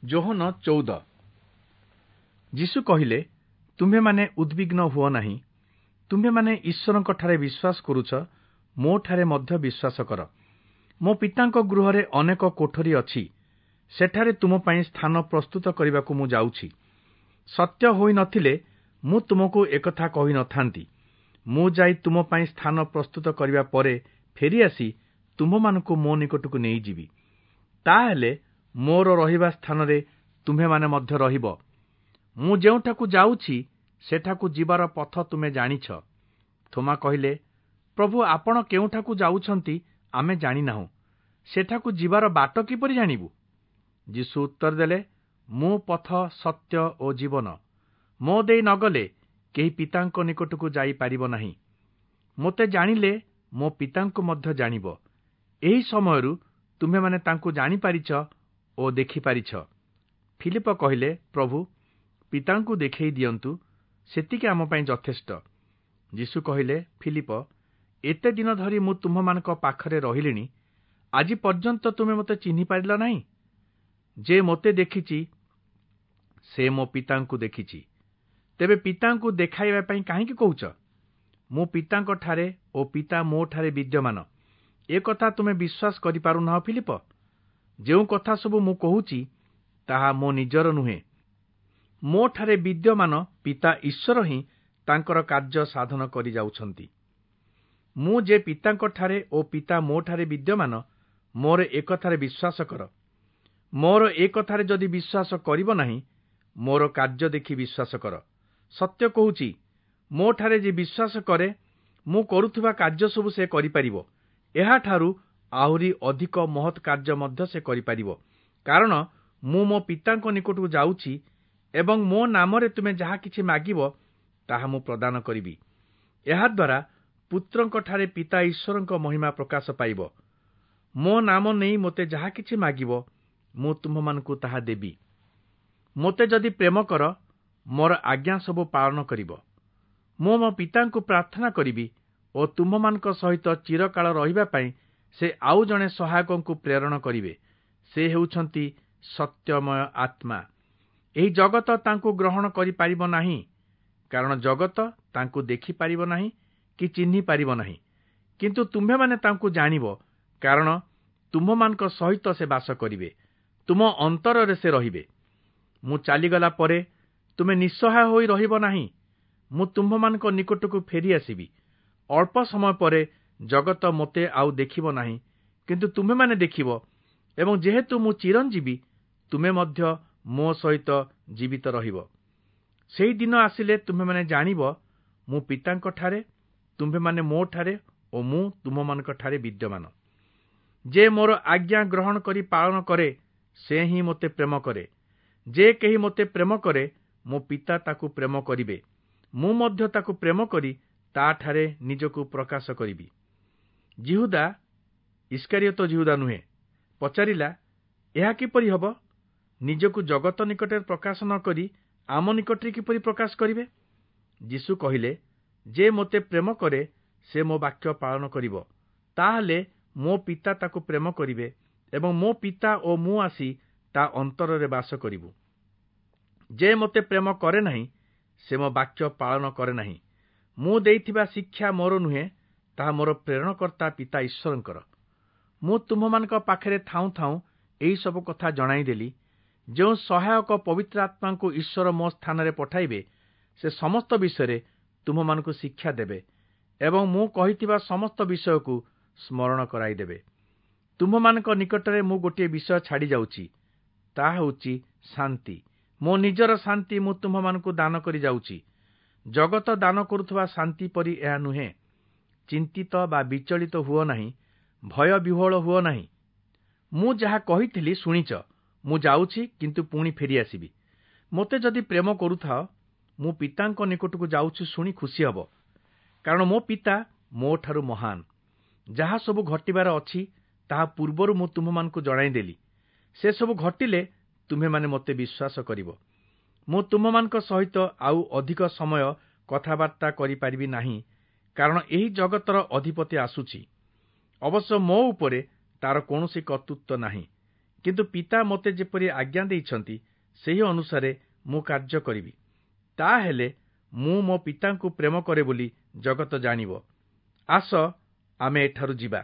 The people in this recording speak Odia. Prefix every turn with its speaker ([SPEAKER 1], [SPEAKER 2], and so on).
[SPEAKER 1] ଯୋହନ 14। ଯୀଶୁ କହିଲେ, ତୁମ୍ଭେମାନେ ଉଦ୍ବିଗ୍ନ ହୁଅ ନାହିଁ। ତୁମ୍ଭେମାନେ ଈଶ୍ୱରଙ୍କଠାରେ ବିଶ୍ୱାସ କରୁଛ, ମୋଠାରେ ମଧ୍ୟ ବିଶ୍ୱାସ କର। ମୋ ପିତାଙ୍କ ଗୃହରେ ଅନେକ କୋଠରୀ ଅଛି, ସେଠାରେ ତୁମ ପାଇଁ ସ୍ଥାନ ପ୍ରସ୍ତୁତ କରିବାକୁ ମୁଁ ଯାଉଛି। ସତ୍ୟ ହୋଇନଥିଲେ ମୁଁ ତୁମକୁ ଏକଥା କହିନଥାନ୍ତି। ମୁଁ ଯାଇ ତୁମ ପାଇଁ ସ୍ଥାନ ପ୍ରସ୍ତୁତ କରିବା ପରେ ଫେରିଆସି ତୁମ୍ଭମାନଙ୍କୁ ମୋ ନିକଟକୁ ନେଇଯିବି। ତାହେଲେ ମୋର ରହିବା ସ୍ଥାନରେ ତୁମ୍ଭେମାନେ ମଧ୍ୟ ରହିବ। ମୁଁ ଯେଉଁଠାକୁ ଯାଉଛି ସେଠାକୁ ଯିବାର ପଥ ତୁମେ ଜାଣିଛ। ଥୋମା କହିଲେ, ପ୍ରଭୁ, ଆପଣ କେଉଁଠାକୁ ଯାଉଛନ୍ତି ଆମେ ଜାଣିନାହୁଁ, ସେଠାକୁ ଯିବାର ବାଟ କିପରି ଜାଣିବୁ? ଯୀଶୁ ଉତ୍ତର ଦେଲେ, ମୁଁ ପଥ, ସତ୍ୟ ଓ ଜୀବନ। ମୋ ଦେଇ ନଗଲେ କେହି ପିତାଙ୍କ ନିକଟକୁ ଯାଇପାରିବ ନାହିଁ। ମୋତେ ଜାଣିଲେ ମୋ ପିତାଙ୍କୁ ମଧ୍ୟ ଜାଣିବ। ଏହି ସମୟରୁ ତୁମ୍ଭେମାନେ ତାଙ୍କୁ ଜାଣିପାରିଛ ଓ ଦେଖିପାରିଛ। ଫିଲିପ କହିଲେ, ପ୍ରଭୁ, ପିତାଙ୍କୁ ଦେଖେଇ ଦିଅନ୍ତୁ, ସେତିକି ଆମ ପାଇଁ ଯଥେଷ୍ଟ। ଯୀଶୁ କହିଲେ, ଫିଲିପ, ଏତେ ଦିନ ଧରି ମୁଁ ତୁମ୍ଭମାନଙ୍କ ପାଖରେ ରହିଲିଣି, ଆଜି ପର୍ଯ୍ୟନ୍ତ ତୁମେ ମୋତେ ଚିହ୍ନି ପାରିଲ ନାହିଁ? ଯେ ମୋତେ ଦେଖିଛି ସେ ମୋ ପିତାଙ୍କୁ ଦେଖିଛି। ତେବେ ପିତାଙ୍କୁ ଦେଖାଇବା ପାଇଁ କାହିଁକି କହୁଛ? ମୁଁ ପିତାଙ୍କଠାରେ ଓ ପିତା ମୋଠାରେ ବିଦ୍ୟମାନ, ଏ କଥା ତୁମେ ବିଶ୍ୱାସ କରିପାରୁନାହଁ ଫିଲିପ? ଯେଉଁ କଥା ସବୁ ମୁଁ କହୁଛି ତାହା ମୋ ନିଜର ନୁହେଁ, ମୋଠାରେ ବିଦ୍ୟମାନ ପିତା ଈଶ୍ୱର ହିଁ ତାଙ୍କର କାର୍ଯ୍ୟ ସାଧନ କରିଯାଉଛନ୍ତି। ମୁଁ ଯେ ପିତାଙ୍କଠାରେ ଓ ପିତା ମୋଠାରେ ବିଦ୍ୟମାନ, ମୋର ଏକଥାରେ ବିଶ୍ୱାସ କର। ମୋର ଏ କଥାରେ ଯଦି ବିଶ୍ୱାସ କରିବ ନାହିଁ, ମୋର କାର୍ଯ୍ୟ ଦେଖି ବିଶ୍ୱାସ କର। ସତ୍ୟ କହୁଛି, ମୋଠାରେ ଯେ ବିଶ୍ୱାସ କରେ, ମୁଁ କରୁଥିବା କାର୍ଯ୍ୟ ସବୁ ସେ କରିପାରିବ। ଏହାଠାରୁ ଆହୁରି ଅଧିକ ମହତ୍ କାର୍ଯ୍ୟ ମଧ୍ୟ ସେ କରିପାରିବ, କାରଣ ମୁଁ ମୋ ପିତାଙ୍କ ନିକଟକୁ ଯାଉଛି ଏବଂ ମୋ ନାମରେ ତୁମେ ଯାହା କିଛି ମାଗିବ ତାହା ମୁଁ ପ୍ରଦାନ କରିବି। ଏହାଦ୍ୱାରା ପୁତ୍ରଙ୍କଠାରେ ପିତା ଈଶ୍ୱରଙ୍କ ମହିମା ପ୍ରକାଶ ପାଇବ। ମୋ ନାମ ନେଇ ମୋତେ ଯାହା କିଛି ମାଗିବ, ମୁଁ ତୁମ୍ଭମାନଙ୍କୁ ତାହା ଦେବି। ମୋତେ ଯଦି ପ୍ରେମ କର, ମୋର ଆଜ୍ଞା ସବୁ ପାଳନ କରିବ। ମୁଁ ମୋ ପିତାଙ୍କୁ ପ୍ରାର୍ଥନା କରିବି ଓ ତୁମ୍ଭମାନଙ୍କ ସହିତ ଚିରକାଳ ରହିବା ପାଇଁ ସେ ଆଉ ଜଣେ ସହାୟକଙ୍କୁ ପ୍ରେରଣ କରିବେ। ସେ ହେଉଛନ୍ତି ସତ୍ୟମୟ ଆତ୍ମା। ଏହି ଜଗତ ତାଙ୍କୁ ଗ୍ରହଣ କରିପାରିବ ନାହିଁ, କାରଣ ଜଗତ ତାଙ୍କୁ ଦେଖିପାରିବ ନାହିଁ କି ଚିହ୍ନି ପାରିବ ନାହିଁ। କିନ୍ତୁ ତୁମ୍ଭେମାନେ ତାଙ୍କୁ ଜାଣିବ, କାରଣ ତୁମ୍ଭମାନଙ୍କ ସହିତ ସେ ବାସ କରିବେ, ତୁମ ଅନ୍ତରରେ ସେ ରହିବେ। ମୁଁ ଚାଲିଗଲା ପରେ ତୁମେ ନିଃସହାୟ ହୋଇ ରହିବ ନାହିଁ। ମୁଁ ତୁମ୍ଭମାନଙ୍କ ନିକଟକୁ ଫେରିଆସିବି। ଅଳ୍ପ ସମୟ ପରେ ଜଗତ ମୋତେ ଆଉ ଦେଖିବ ନାହିଁ, କିନ୍ତୁ ତୁମ୍ଭେମାନେ ଦେଖିବ, ଏବଂ ଯେହେତୁ ମୁଁ ଚିରଞ୍ଜୀବୀ, ତୁମେ ମଧ୍ୟ ମୋ ସହିତ ଜୀବିତ ରହିବ। ସେହି ଦିନ ଆସିଲେ ତୁମ୍ଭେମାନେ ଜାଣିବ, ମୁଁ ପିତାଙ୍କଠାରେ, ତୁମ୍ଭେମାନେ ମୋଠାରେ ଓ ମୁଁ ତୁମ୍ଭମାନଙ୍କଠାରେ ବିଦ୍ୟମାନ। ଯେ ମୋର ଆଜ୍ଞା ଗ୍ରହଣ କରି ପାଳନ କରେ, ସେ ହିଁ ମୋତେ ପ୍ରେମ କରେ। ଯେ କେହି ମୋତେ ପ୍ରେମ କରେ, ମୋ ପିତା ତାକୁ ପ୍ରେମ କରିବେ। ମୁଁ ମଧ୍ୟ ତାକୁ ପ୍ରେମ କରି ତାଠାରେ ନିଜକୁ ପ୍ରକାଶ କରିବି। ଯିହୁଦା, ଇସ୍କାରିୟତ ଯିହୁଦା ନୁହେଁ, ପଚାରିଲା, ଏହା କିପରି ହେବ? ନିଜକୁ ଜଗତ ନିକଟରେ ପ୍ରକାଶ ନ କରି ଆମ ନିକଟରେ କିପରି ପ୍ରକାଶ କରିବେ? ଯୀଶୁ କହିଲେ, ଯେ ମୋତେ ପ୍ରେମ କରେ ସେ ମୋ ବାକ୍ୟ ପାଳନ କରିବ। ତାହେଲେ ମୋ ପିତା ତାକୁ ପ୍ରେମ କରିବେ ଏବଂ ମୋ ପିତା ଓ ମୁଁ ଆସି ତା ଅନ୍ତରରେ ବାସ କରିବୁ। ଯେ ମୋତେ ପ୍ରେମ କରେ ନାହିଁ, ସେ ମୋ ବାକ୍ୟ ପାଳନ କରେ ନାହିଁ। ମୁଁ ଦେଇଥିବା ଶିକ୍ଷା ମୋର ନୁହେଁ, ତାହା ମୋର ପ୍ରେରଣକର୍ତ୍ତା ପିତା ଈଶ୍ୱରଙ୍କର। ମୁଁ ତୁମ୍ଭମାନଙ୍କ ପାଖରେ ଥାଉଁ ଥାଉଁ ଏହିସବୁ କଥା ଜଣାଇଦେଲି। ଯେଉଁ ସହାୟକ ପବିତ୍ର ଆତ୍ମାଙ୍କୁ ଈଶ୍ୱର ମୋ ସ୍ଥାନରେ ପଠାଇବେ, ସେ ସମସ୍ତ ବିଷୟରେ ତୁମ୍ଭମାନଙ୍କୁ ଶିକ୍ଷା ଦେବେ ଏବଂ ମୁଁ କହିଥିବା ସମସ୍ତ ବିଷୟକୁ ସ୍ମରଣ କରାଇଦେବେ। ତୁମ୍ଭମାନଙ୍କ ନିକଟରେ ମୁଁ ଗୋଟିଏ ବିଷୟ ଛାଡ଼ି ଯାଉଛି, ତାହା ହେଉଛି ଶାନ୍ତି। ମୋ ନିଜର ଶାନ୍ତି ମୁଁ ତୁମ୍ଭମାନଙ୍କୁ ଦାନ କରି ଯାଉଛି। ଜଗତ ଦାନ କରୁଥିବା ଶାନ୍ତି ପରି ଏହା ନୁହେଁ। ଚିନ୍ତିତ ବା ବିଚଳିତ ହୁଅ ନାହିଁ, ଭୟ ବିହ୍ୱଳ ହୁଅ ନାହିଁ। ମୁଁ ଯାହା କହିଥିଲି ଶୁଣିଛ। ମୁଁ ଯାଉଛି, କିନ୍ତୁ ପୁଣି ଫେରିଆସିବି। ମୋତେ ଯଦି ପ୍ରେମ କରୁଥାଅ, ମୁଁ ପିତାଙ୍କ ନିକଟକୁ ଯାଉଛି ଶୁଣି ଖୁସି ହେବ, କାରଣ ମୋ ପିତା ମୋଠାରୁ ମହାନ। ଯାହା ସବୁ ଘଟିବାର ଅଛି ତାହା ପୂର୍ବରୁ ମୁଁ ତୁମ୍ଭମାନଙ୍କୁ ଜଣାଇଦେଲି। ସେସବୁ ଘଟିଲେ ତୁମ୍ଭେମାନେ ମୋତେ ବିଶ୍ୱାସ କରିବ। ମୁଁ ତୁମ୍ଭମାନଙ୍କ ସହିତ ଆଉ ଅଧିକ ସମୟ କଥାବାର୍ତ୍ତା କରିପାରିବି ନାହିଁ, କାରଣ ଏହି ଜଗତର ଅଧିପତି ଆସୁଛି। ଅବଶ୍ୟ ମୋ ଉପରେ ତାର କୌଣସି କର୍ତ୍ତୃତ୍ୱ ନାହିଁ, କିନ୍ତୁ ପିତା ମୋତେ ଯେପରି ଆଜ୍ଞା ଦେଇଛନ୍ତି, ସେହି ଅନୁସାରେ ମୁଁ କାର୍ଯ୍ୟ କରିବି। ତାହେଲେ ମୁଁ ମୋ ପିତାଙ୍କୁ ପ୍ରେମ କରେ ବୋଲି ଜଗତ ଜାଣିବ। ଆସ, ଆମେ ଏଠାରୁ ଯିବା।